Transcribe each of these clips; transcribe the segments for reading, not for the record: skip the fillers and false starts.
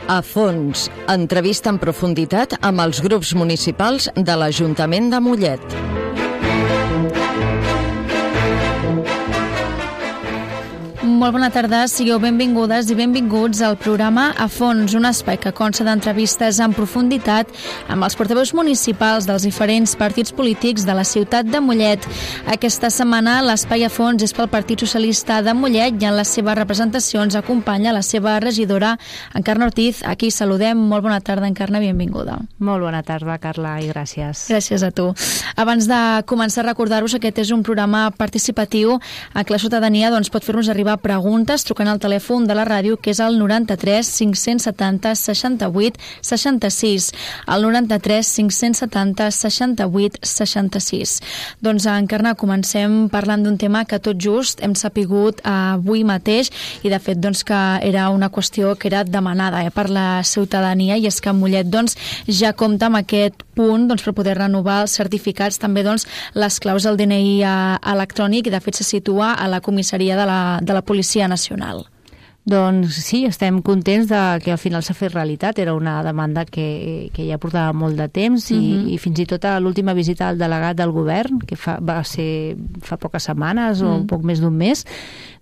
A fons, entrevista en profunditat amb els grups municipals de l'Ajuntament de Mollet. Molt bona tarda, sigueu benvingudes i benvinguts al programa A Fons, un espai que consta d'entrevistes en profunditat amb els portaveus municipals dels diferents partits polítics de la ciutat de Mollet. Aquesta setmana l'espai A Fons és pel Partit Socialista de Mollet i en les seves representacions acompanya la seva regidora Encarna Ortiz. Aquí saludem. Molt bona tarda, Encarna, benvinguda. Molt bona tarda, Carla, i gràcies. Gràcies a tu. Abans de començar a recordar-vos, aquest és un programa participatiu en què la ciutadania pot fer-nos arribar preguntes trucant al telèfon de la ràdio, que és el 93 570 68 66. El 93 570 68 66. Doncs, Encarna, comencem parlant d'un tema que tot just hem sapigut avui mateix i, de fet, que era una qüestió que era demanada per la ciutadania, i és que Mollet ja compta amb aquest punt per poder renovar els certificats, també les claus del DNI electrònic, i de fet se situa a la comissaria de la Policia Nacional. Doncs sí, estem contents que al final s'ha fet realitat. Era una demanda que ja portava molt de temps i fins i tot a l'última visita al delegat del govern, que va ser fa poques setmanes o un poc més d'un mes,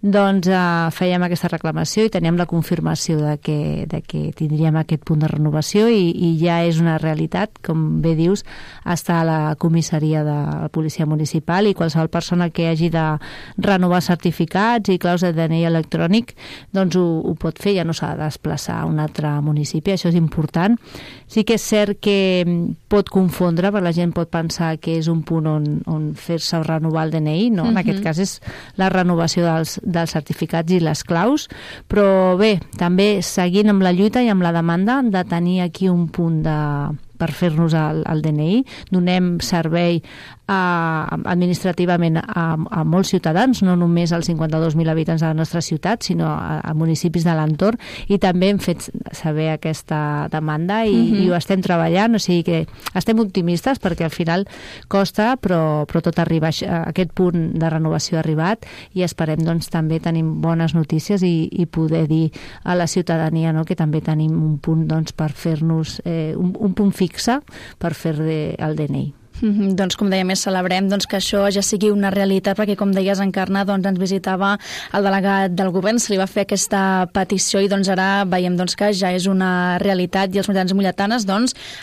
fèiem aquesta reclamació i teníem la confirmació de que tindríem aquest punt de renovació i ja és una realitat. Com bé dius, està a la comissaria de la Policia Municipal, i qualsevol persona que hagi de renovar certificats i claus de DNI electrònic ho pot fer, ja no s'ha de desplaçar a un altre municipi. Això és important. Sí que és cert que pot confondre, perquè la gent pot pensar que és un punt on fer-se renovar el DNI, no? En aquest cas és la renovació dels certificats i les claus, però bé, també seguint amb la lluita i amb la demanda de tenir aquí un punt per fer-nos el DNI. Donem servei administrativament a molts ciutadans, no només als 52.000 habitants de la nostra ciutat, sinó a municipis de l'entorn, i també hem fet saber aquesta demanda i ho estem treballant, o sigui que estem optimistes perquè al final costa, però tot arriba. Aquest punt de renovació ha arribat i esperem també tenir bones notícies i poder dir a la ciutadania que també tenim un punt per fer-nos un punt fixe per fer el DNI. Com dèiem, celebrem que això ja sigui una realitat, perquè, com deies, Encarna, ens visitava el delegat del govern, se li va fer aquesta petició i ara veiem que ja és una realitat, i els molletans i molletanes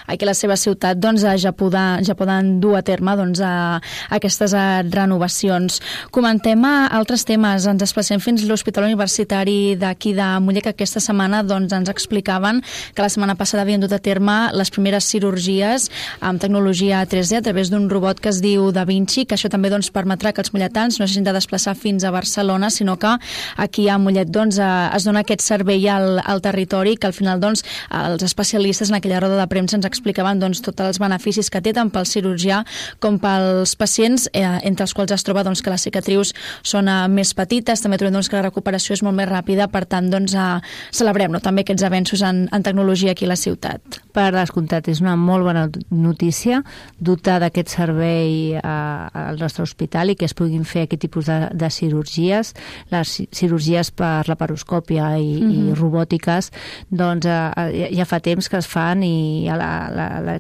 aquí a la seva ciutat ja poden dur a terme aquestes renovacions. Comentem altres temes. Ens desplacem fins a l'Hospital Universitari d'aquí de Mollet, que aquesta setmana ens explicaven que la setmana passada havien dut a terme les primeres cirurgies amb tecnologia 3D a través d'un robot que es diu Da Vinci, que això també permetrà que els molletans no s'hagin de desplaçar fins a Barcelona, sinó que aquí a Mollet es dona aquest servei al territori, que al final els especialistes en aquella roda de premsa ens explicaven tots els beneficis que té tant pel cirurgià com pels pacients, entre els quals es troba que les cicatrius són més petites. També trobem que la recuperació és molt més ràpida. Per tant, celebrem també aquests avenços en tecnologia aquí a la ciutat. Per descomptat, és una molt bona notícia dotar d'aquest servei al nostre hospital i que es puguin fer aquest tipus de cirurgies. Les cirurgies per laparoscòpia i robòtiques ja fa temps que es fan, i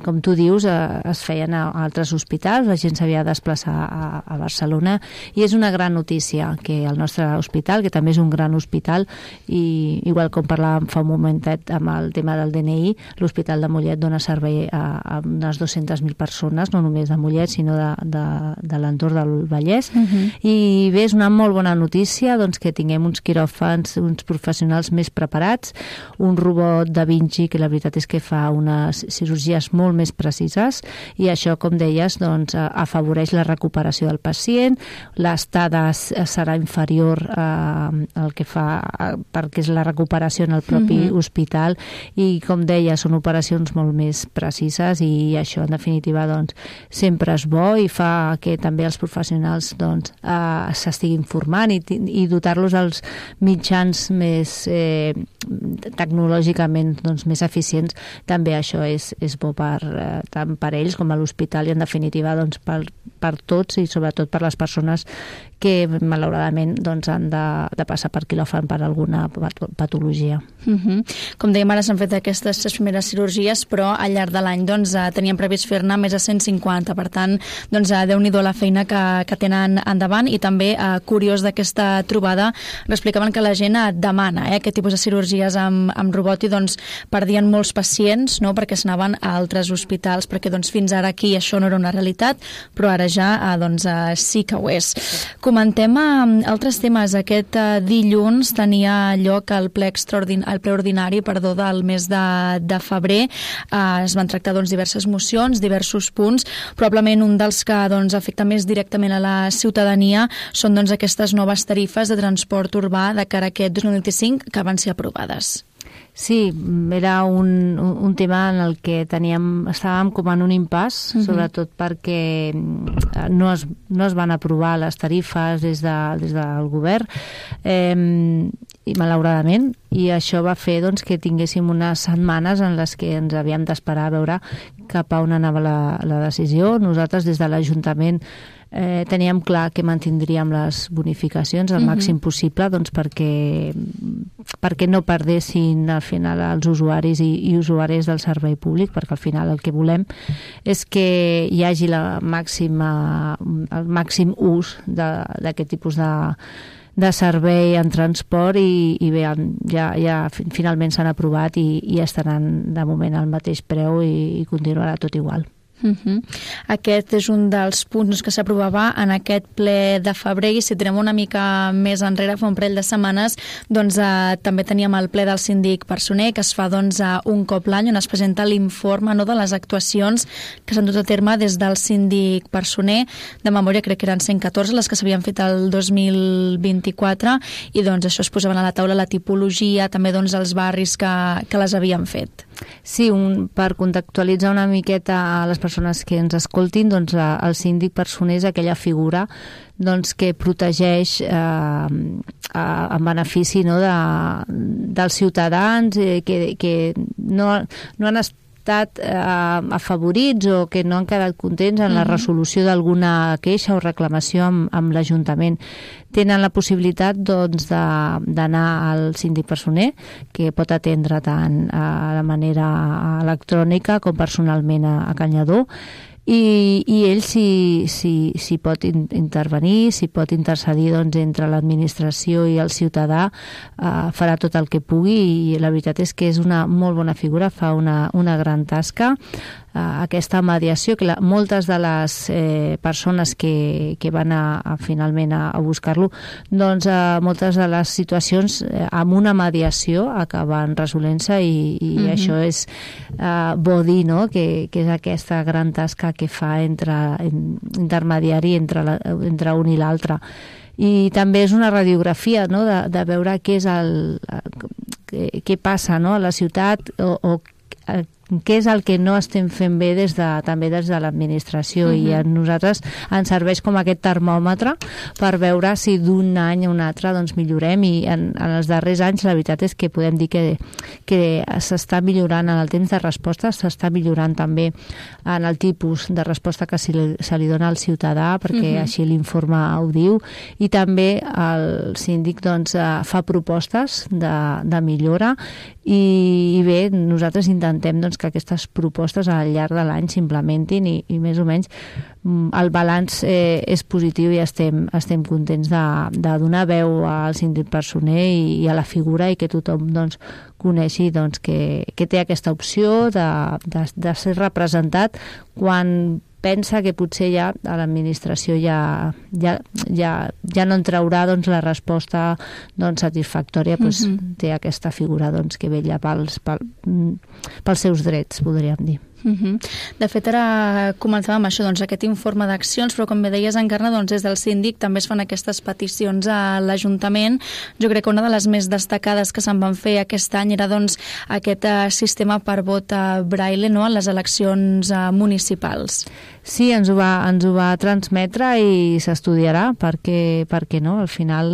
com tu dius, es feien a altres hospitals. La gent s'havia de desplaçar a Barcelona, i és una gran notícia que el nostre hospital, que també és un gran hospital, i igual com parlàvem fa un momentet amb el tema del DNI, l'Hospital de Mollet dona servei a unes 200.000 persones, no només de Mollet, sinó de l'entorn del Vallès. I bé, és una molt bona notícia que tinguem uns quiròfans, uns professionals més preparats, un robot Da Vinci que la veritat és que fa unes cirurgies molt més precises, i això, com deies, afavoreix la recuperació del pacient. L'estada serà inferior al que fa perquè és la recuperació en el propi hospital, i, com deia, són operacions molt més precises, i això, en definitiva, sempre és bo i fa que també els professionals s'estiguin formant i dotar-los dels mitjans més tecnològicament més eficients. També això és bo tant per ells com a l'hospital, i en definitiva per tots, i sobretot per les persones que malauradament doncs, han de passar per quiròfan per alguna patologia. Com dèiem, ara s'han fet aquestes 3 primeres cirurgies, però al llarg de l'any doncs, teníem previst fer-ne més de 150. Per tant, doncs, Déu-n'hi-do la feina que tenen endavant. I també, curiós d'aquesta trobada, explicaven que la gent demana aquest tipus de cirurgies amb robot i doncs, perdien molts pacients, no?, perquè s'anaven a altres hospitals, perquè doncs, fins ara aquí això no era una realitat, però ara ja doncs, sí que ho és. Comentem altres temes. Aquest dilluns tenia lloc el ple ordinari del mes de febrer. Es van tractar doncs, diverses mocions, diversos punts. Probablement un dels que doncs, afecta més directament a la ciutadania són doncs, aquestes noves tarifes de transport urbà de cara a aquest 2025 que van ser aprovades. Sí, era un tema en el que estàvem com en un impàs, sobretot perquè no es van aprovar les tarifes des del govern, i malauradament, i això va fer doncs, que tinguéssim unes setmanes en les que ens havíem d'esperar a veure cap a on anava la decisió. Nosaltres des de l'Ajuntament teníem clar que mantindríem les bonificacions al màxim possible doncs, perquè no perdessin al final els usuaris i usuàries del servei públic, perquè al final el que volem és que hi hagi el màxim ús d'aquest tipus de servei en transport i bé, ja finalment s'han aprovat i estaran de moment al mateix preu i continuarà tot igual. Aquest és un dels punts que s'aprovava en aquest ple de febrer, i si tenem una mica més enrere, fa un parell de setmanes, doncs també teníem el ple del síndic Personer, que es fa doncs, un cop l'any, on es presenta l'informe de les actuacions que s'han dut a terme des del síndic Personer. De memòria crec que eren 114 les que s'havien fet el 2024, i doncs això es posaven a la taula la tipologia, també doncs els barris que les havien fet. Sí, per contextualitzar una miqueta a les persones que ens escoltin, doncs el síndic Personer és aquella figura doncs, que protegeix en benefici dels ciutadans que no han estat afavorits o que no han quedat contents en la resolució d'alguna queixa o reclamació amb l'Ajuntament. Tenen la possibilitat doncs, d'anar al síndic Personer, que pot atendre tant de manera electrònica com personalment a Can Lledó, i ell si pot intervenir, si pot intercedir doncs, entre l'administració i el ciutadà, farà tot el que pugui, i la veritat és que és una molt bona figura, fa una gran tasca. Aquesta mediació, que moltes de les persones que van finalment a buscar-lo, doncs moltes de les situacions amb una mediació acaben resolent-se, i això és bo dir, no?, que és aquesta gran tasca que fa intermediari entre un i l'altre. I també és una radiografia, no?, de veure què passa, no?, a la ciutat, o què és el que no estem fent bé també des de l'administració, i a nosaltres ens serveix com aquest termòmetre per veure si d'un any a un altre doncs, millorem, i en els darrers anys la veritat és que podem dir que s'està millorant en el temps de resposta, s'està millorant també en el tipus de resposta que se li dona al ciutadà, perquè així l'informe ho diu, i també el síndic doncs, fa propostes de millora, i bé, nosaltres intentem doncs, que aquestes propostes al llarg de l'any s'implementin, i més o menys el balanç és positiu, i estem contents de donar veu al síndic Personer i a la figura, i que tothom doncs, coneixi doncs, que té aquesta opció de ser representat quan pensa que potser ja a l'administració ja no en traurà doncs, la resposta doncs, satisfactòria, doncs, té aquesta figura doncs, que vetlla pels seus drets, podríem dir. De fet, ara començàvem això, doncs, aquest informe d'accions, però com bé deies, Encarna, doncs, des del síndic també es fan aquestes peticions a l'Ajuntament. Jo crec que una de les més destacades que se'n van fer aquest any era doncs, aquest sistema per vot braille, no?, en les eleccions municipals. Sí, ens ho va transmetre i s'estudiarà, perquè no? Al final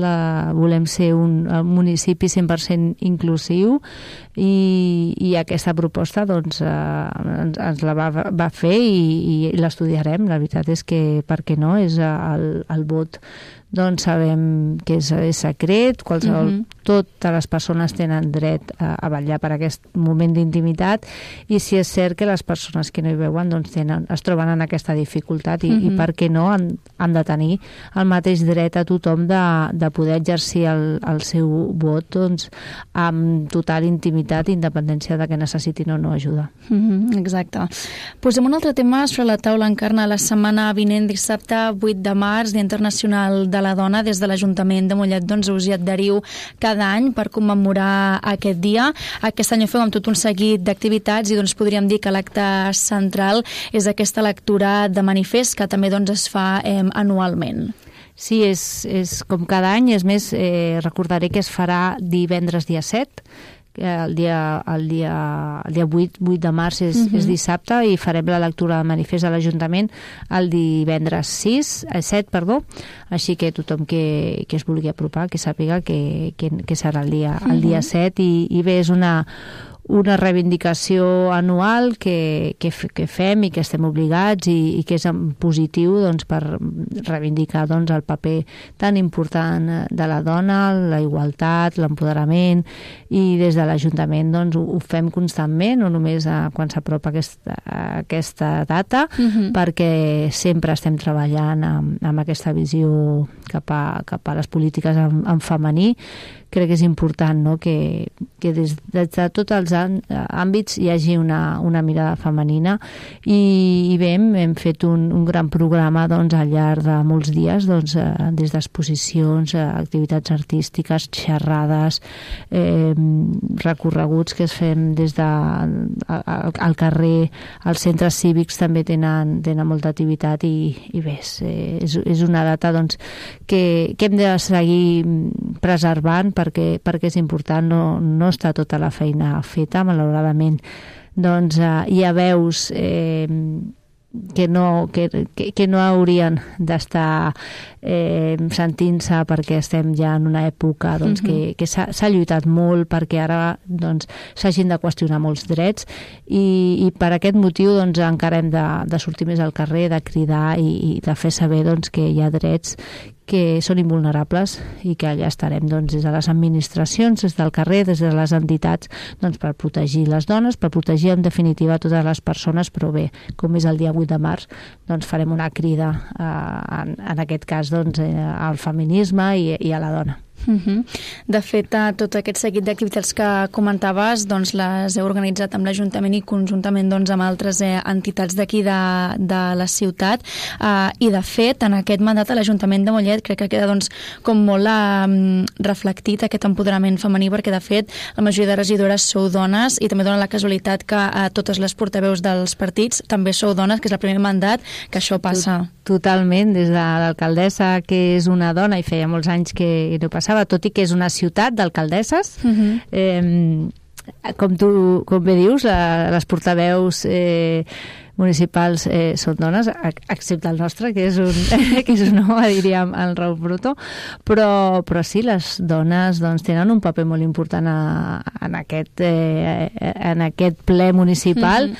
volem ser un municipi 100% inclusiu, i aquesta proposta doncs, ens la va fer i l'estudiarem. La veritat és que, per què no, és el vot doncs sabem que és secret, totes les persones tenen dret a vetllar per aquest moment d'intimitat, i si és cert que les persones que no hi veuen doncs es troben en aquesta dificultat i per què no han de tenir el mateix dret a tothom de poder exercir el seu vot doncs, amb total intimitat, independència de que necessitin o no ajuda. Exacte. Posem un altre tema sobre la taula, Encarna. La setmana vinent, dissabte 8 de març, Dia Internacional de la Dona, des de l'Ajuntament de Mollet doncs us hi adheriu cada any per commemorar aquest dia. Aquest any ho feu amb tot un seguit d'activitats i doncs podríem dir que l'acte central és aquesta lectura de manifest que també doncs es fa anualment. Sí, és com cada any. És més, recordaré que es farà divendres dia 7, el dia 8 de març és dissabte, i farem la lectura de manifest a l'Ajuntament el divendres 7, així que tothom que es vulgui apropar, que sàpiga que serà el dia 7, i bé, és una reivindicació anual que fem i que estem obligats i que és en positiu doncs, per reivindicar doncs, el paper tan important de la dona, la igualtat, l'empoderament, i des de l'Ajuntament doncs, ho fem constantment, no només quan s'apropa aquesta data, perquè sempre estem treballant amb aquesta visió cap a les polítiques en femení. Crec que és important, no?, que des de tots els àmbits hi hagi una mirada femenina, i bé, hem fet un gran programa doncs, al llarg de molts dies, doncs, des d'exposicions, activitats artístiques, xerrades, recorreguts que es fem des al carrer, els centres cívics també tenen molta activitat, i bé, és una data doncs, que hem de seguir preservant, perquè és important, no està tota la feina feta, malauradament. Doncs hi ha veus que no haurien d'estar sentint-se, perquè estem ja en una època doncs, que s'ha lluitat molt perquè ara doncs, s'hagin de qüestionar molts drets, i per aquest motiu doncs, encara hem de sortir més al carrer, de cridar i de fer saber doncs, que hi ha drets que són invulnerables, i que allà estarem doncs, des de les administracions, des del carrer, des de les entitats, doncs, per protegir les dones, per protegir en definitiva totes les persones. Però bé, com és el dia 8 de març, doncs farem una crida en aquest cas doncs, al feminisme i a la dona. De fet, tot aquest seguit d'activitats que comentaves doncs les heu organitzat amb l'Ajuntament i conjuntament doncs, amb altres entitats d'aquí de la ciutat, i de fet en aquest mandat a l'Ajuntament de Mollet crec que queda doncs, com molt reflectit aquest empoderament femení, perquè de fet la majoria de regidores sou dones, i també dona la casualitat que totes les portaveus dels partits també sou dones, que és el primer mandat que això passa. Totalment, des de l'alcaldessa, que és una dona, i feia molts anys que no passava, tot i que és una ciutat d'alcaldesses. Com bé dius, les portaveus municipals són dones, excepte el nostre, que és un home, diríem, el Raúl Bruto, però sí, les dones doncs, tenen un paper molt important en aquest ple municipal,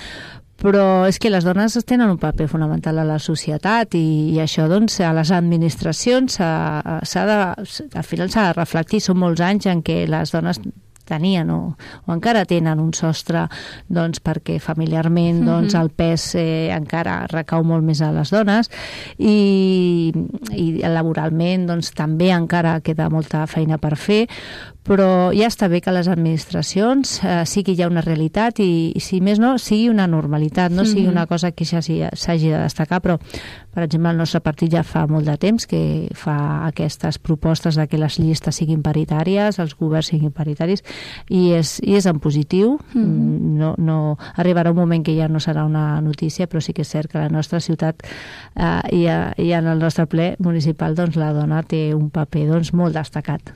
però és que les dones tenen un paper fonamental a la societat, i això doncs, a les administracions al final s'ha de reflectir. Són molts anys en què les dones tenien o encara tenen un sostre doncs, perquè familiarment doncs, el pes encara recau molt més a les dones, i laboralment doncs, també encara queda molta feina per fer, però ja està bé que les administracions sigui ja una realitat, i si més no, sigui una normalitat, no sigui una cosa que s'hagi de destacar. Però, per exemple, el nostre partit ja fa molt de temps que fa aquestes propostes de que les llistes siguin paritàries, els governs siguin paritaris, i és en positiu. No arribarà un moment que ja no serà una notícia, però sí que és cert que a la nostra ciutat i en el nostre ple municipal doncs, la dona té un paper doncs, molt destacat.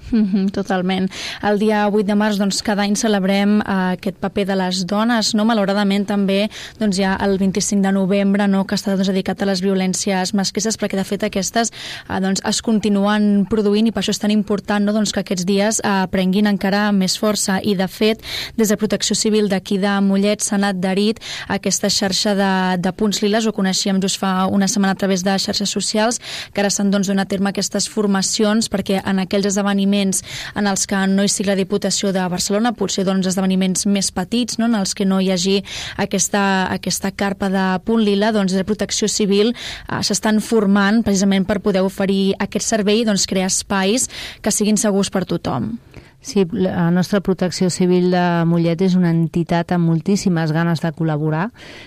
Totalment. el dia 8 de març, doncs, cada any celebrem aquest paper de les dones, no? Malauradament també doncs, hi ha el 25 de novembre, no?, que està doncs, dedicat a les violències masclistes, perquè de fet aquestes doncs, es continuen produint i per això és tan important, no?, doncs, que aquests dies prenguin encara més força. I de fet, des de Protecció Civil d'aquí de Mollet s'han adherit a aquesta xarxa de punts liles, ho coneixíem just fa una setmana a través de xarxes socials, que ara s'han doncs, donat a terme aquestes formacions perquè en aquells esdeveniments en els que no hi sigui la Diputació de Barcelona, potser doncs, esdeveniments més petits, no?, en els que no hi hagi aquesta carpa de punt lila, doncs de Protecció Civil s'estan formant precisament per poder oferir aquest servei, doncs crear espais que siguin segurs per tothom. Sí, la nostra Protecció Civil de Mollet és una entitat amb moltíssimes ganes de col·laborar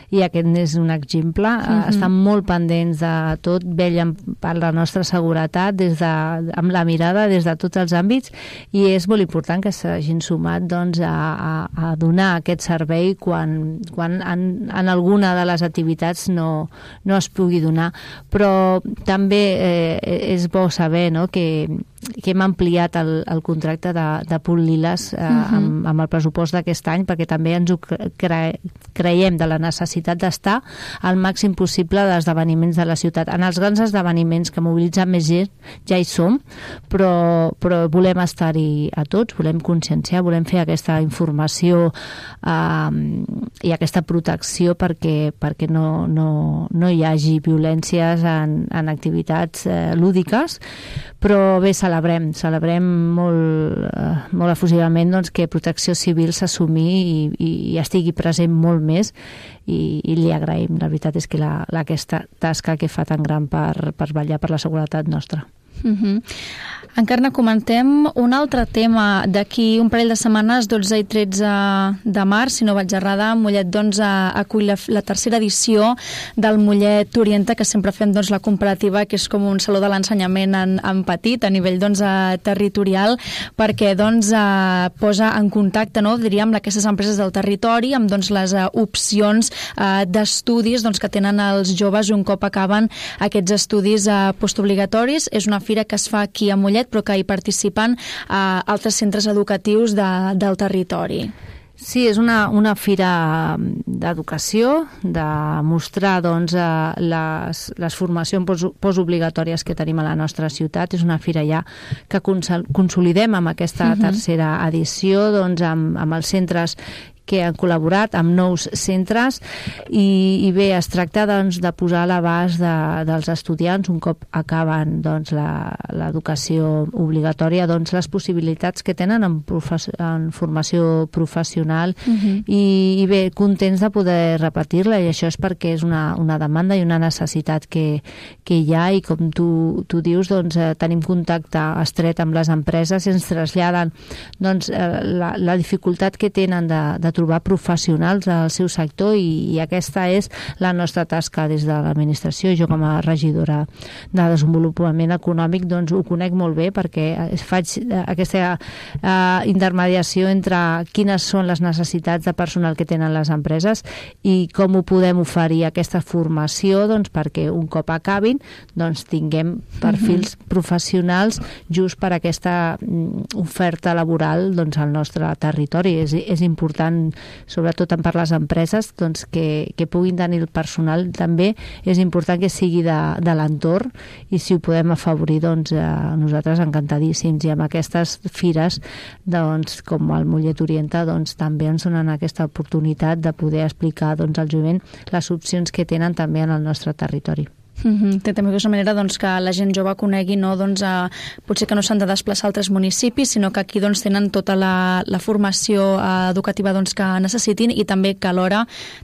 i aquest n'és un exemple. Estan molt pendents de tot, vetllen per la nostra seguretat amb la mirada des de tots els àmbits i és molt important que s'hagin sumat doncs, a donar aquest servei quan en alguna de les activitats no es pugui donar. Però també és bo saber, no?, que hem ampliat el contracte de punt liles amb el pressupost d'aquest any perquè també ens ho creiem de la necessitat d'estar al màxim possible d'esdeveniments de la ciutat. En els grans esdeveniments que mobilitzen més gent ja hi som, però volem estar-hi a tots, volem conscienciar, volem fer aquesta informació i aquesta protecció perquè no hi hagi violències en activitats lúdiques, però bé, celebrem molt efusivament doncs, que Protecció Civil s'assumi i estigui present molt més i li agraïm. La veritat és que aquesta tasca que fa tan gran per vetllar per la seguretat nostra. Encarna, comentem un altre tema. D'aquí un parell de setmanes, 12 i 13 de març, si no vaig errada, Mollet doncs, acull la tercera edició del Mollet Orienta, que sempre fem doncs, la comparativa, que és com un saló de l'ensenyament en petit, a nivell doncs, territorial, perquè doncs, posa en contacte, no, diríem, aquestes empreses del territori amb doncs, les opcions d'estudis doncs, que tenen els joves un cop acaben aquests estudis postobligatoris. És una fira que es fa aquí a Mollet, però que hi participen altres centres educatius del territori. Sí, és una fira d'educació, de mostrar doncs, les formacions postobligatòries que tenim a la nostra ciutat. És una fira ja que consolidem amb aquesta tercera edició doncs, amb els centres que han col·laborat amb nous centres i bé, es tracta doncs, de posar a l'abast dels estudiants un cop acaben doncs, l'educació obligatòria doncs, les possibilitats que tenen en formació professional i bé, contents de poder repetir-la i això és perquè és una demanda i una necessitat que hi ha i com tu dius, doncs, tenim contacte estret amb les empreses i ens traslladen doncs, la dificultat que tenen de trobar professionals al seu sector i aquesta és la nostra tasca des de l'administració. Jo com a regidora de desenvolupament econòmic doncs ho conec molt bé perquè faig aquesta intermediació entre quines són les necessitats de personal que tenen les empreses i com ho podem oferir aquesta formació doncs, perquè un cop acabin doncs, tinguem perfils professionals just per aquesta oferta laboral doncs, al nostre territori. És important sobretot per les empreses doncs, que puguin tenir el personal. També és important que sigui de l'entorn i si ho podem afavorir doncs, nosaltres encantadíssims i amb aquestes fires doncs, com el Mollet Orienta doncs, també ens donen aquesta oportunitat de poder explicar doncs, al jovent les opcions que tenen també en el nostre territori. També és una manera doncs, que la gent jove conegui no, doncs, potser que no s'han de desplaçar a altres municipis, sinó que aquí doncs, tenen tota la formació educativa doncs, que necessitin i també que alhora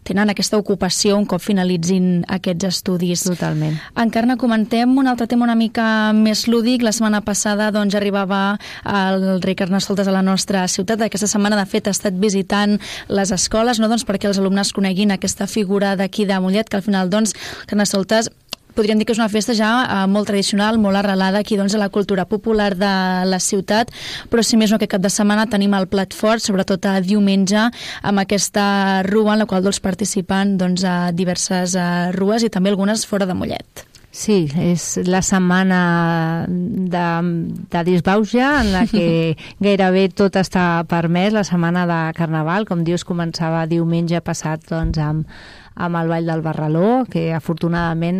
tenen aquesta ocupació un cop finalitzin aquests estudis. Totalment. Encarna, comentem un altre tema una mica més lúdic. La setmana passada doncs, arribava el rei Carnestoltes a la nostra ciutat. Aquesta setmana, de fet, ha estat visitant les escoles no, doncs, perquè els alumnes coneguin aquesta figura d'aquí de Mollet, que al final doncs, Carnestoltes podríem dir que és una festa ja molt tradicional, molt arrelada aquí doncs, a la cultura popular de la ciutat, però si més no aquest cap de setmana tenim el plat fort, sobretot a diumenge, amb aquesta rua en la qual doncs, participen doncs, a diverses rues i també algunes fora de Mollet. Sí, és la setmana de disbauxa en la que gairebé tot està permès, la setmana de Carnaval, com dius, començava diumenge passat doncs, amb el Ball del Barraló, que afortunadament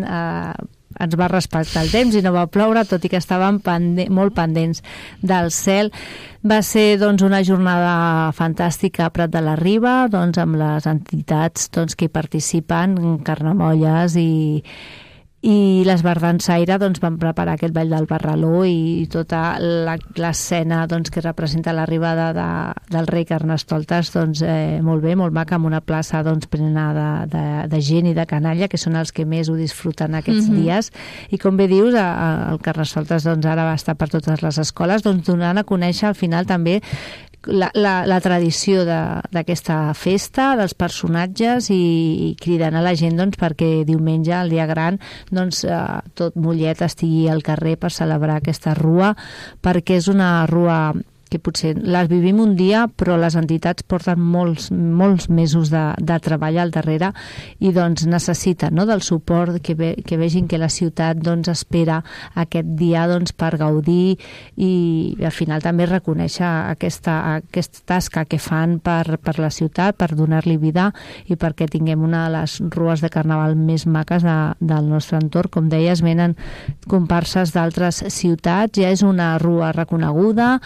ens va respectar el temps i no va ploure, tot i que estàvem molt pendents del cel. Va ser doncs, una jornada fantàstica a Prat de la Riba, doncs, amb les entitats doncs, que hi participen, Carnamolles i les Bardansaire doncs, van preparar aquest Ball del Barraló i tota l'escena doncs, que representa l'arribada del rei Carnestoltes, doncs, molt bé, molt maca, amb una plaça doncs, plena de gent i de canalla, que són els que més ho disfruten aquests dies. I com bé dius, el Carnestoltes doncs, ara va estar per totes les escoles, doncs, donant a conèixer al final també la tradició d'aquesta festa, dels personatges i cridant a la gent doncs, perquè diumenge, el dia gran, doncs, tot Mollet estigui al carrer per celebrar aquesta rua, perquè és una rua que potser les vivim un dia, però les entitats porten molts mesos de treball al darrere i doncs necessiten, no?, del suport, que vegin que la ciutat doncs, espera aquest dia doncs, per gaudir i al final també reconèixer aquesta tasca que fan per la ciutat, per donar-li vida i perquè tinguem una de les rues de Carnaval més maques del nostre entorn. Com deies, venen comparses d'altres ciutats, ja és una rua reconeguda,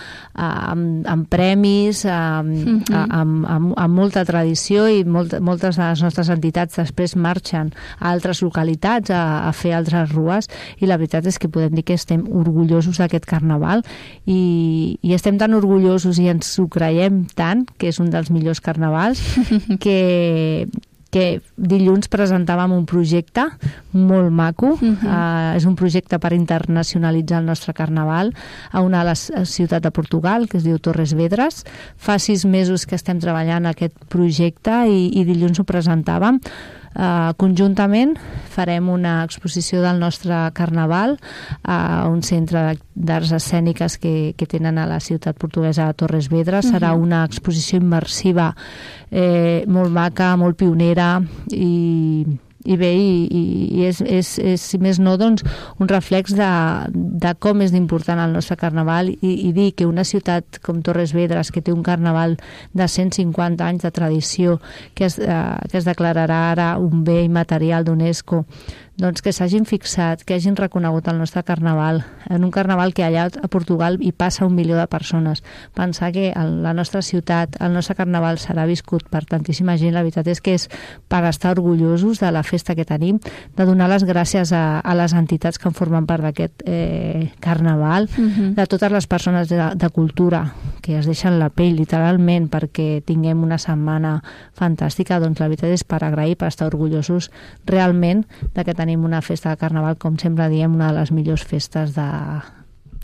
amb premis, amb molta tradició i moltes de les nostres entitats després marxen a altres localitats a fer altres rues i la veritat és que podem dir que estem orgullosos d'aquest Carnaval i estem tan orgullosos i ens ho creiem tant, que és un dels millors carnavals, que dilluns presentàvem un projecte molt maco. És un projecte per internacionalitzar el nostre Carnaval a una de les ciutats de Portugal, que es diu Torres Vedras. Fa 6 mesos que estem treballant aquest projecte i dilluns ho presentàvem. Conjuntament farem una exposició del nostre Carnaval a un centre d'arts escèniques que tenen a la ciutat portuguesa de Torres Vedras. Serà una exposició immersiva molt maca, molt pionera i bé, i és, si més no, doncs, un reflex de com és d'important el nostre Carnaval i dir que una ciutat com Torres Vedras, que té un Carnaval de 150 anys de tradició, que es declararà ara un bé immaterial d'UNESCO, doncs que s'hagin fixat, que hagin reconegut el nostre Carnaval, en un Carnaval que allà a Portugal hi passa 1 milió de persones. Pensar que la nostra ciutat, el nostre Carnaval serà viscut per tantíssima gent, la veritat és que és per estar orgullosos de la festa que tenim, de donar les gràcies a les entitats que en formen part d'aquest Carnaval, de totes les persones de cultura que es deixen la pell literalment perquè tinguem una setmana fantàstica. Doncs la veritat és per agrair, per estar orgullosos realment de que tenim una festa de Carnaval, com sempre diem, una de les millors festes de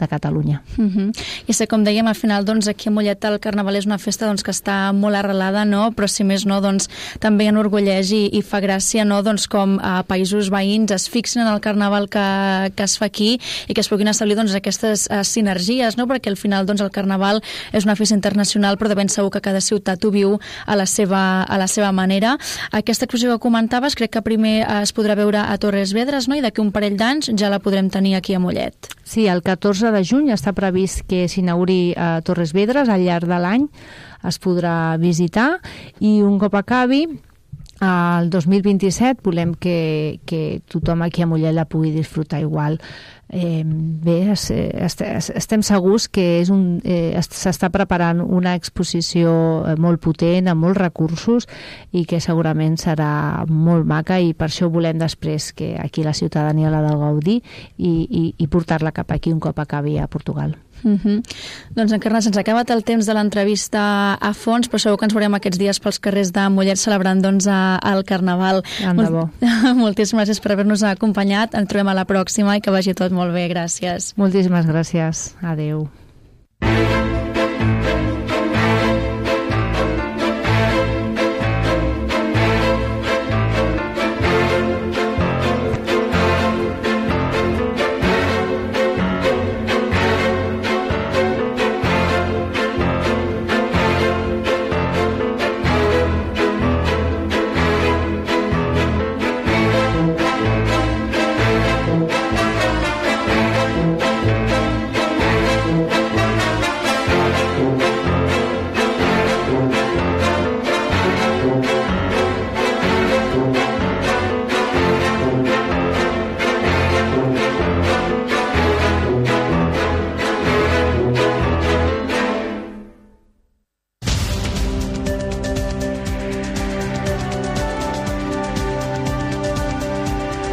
Catalunya. I sé, com dèiem, al final doncs, aquí a Mollet el Carnaval és una festa doncs, que està molt arrelada, no? Però si més no, doncs, també enorgulleix i fa gràcia, no? Doncs, com a països veïns es fixen en el Carnaval que es fa aquí i que es puguin establir doncs, aquestes sinergies, no? Perquè al final doncs, el Carnaval és una festa internacional, però de ben segur que cada ciutat ho viu a la seva manera. Aquesta exposició que comentaves crec que primer es podrà veure a Torres Vedras, no? I d'aquí un parell d'anys ja la podrem tenir aquí a Mollet. Sí, el 14 de juny està previst que s'inauguri a Torres Vedras. Al llarg de l'any es podrà visitar i un cop acabi el 2027 volem que tothom aquí a Mollet la pugui disfrutar igual. Bé, estem segurs que s'està preparant una exposició molt potent, amb molts recursos i que segurament serà molt maca i per això volem després que aquí la ciutadania la de gaudir i portar-la cap aquí un cop acabi a Portugal. Doncs Encarna, se'ns ha acabat el temps de l'entrevista a fons, però segur que ens veurem aquests dies pels carrers de Mollet celebrant doncs, el Carnaval. Moltíssimes gràcies per haver-nos acompanyat. Ens trobem a la pròxima i que vagi tot molt bé. Gràcies. Moltíssimes gràcies. Adéu.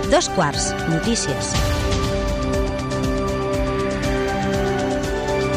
2 quarts, notícies.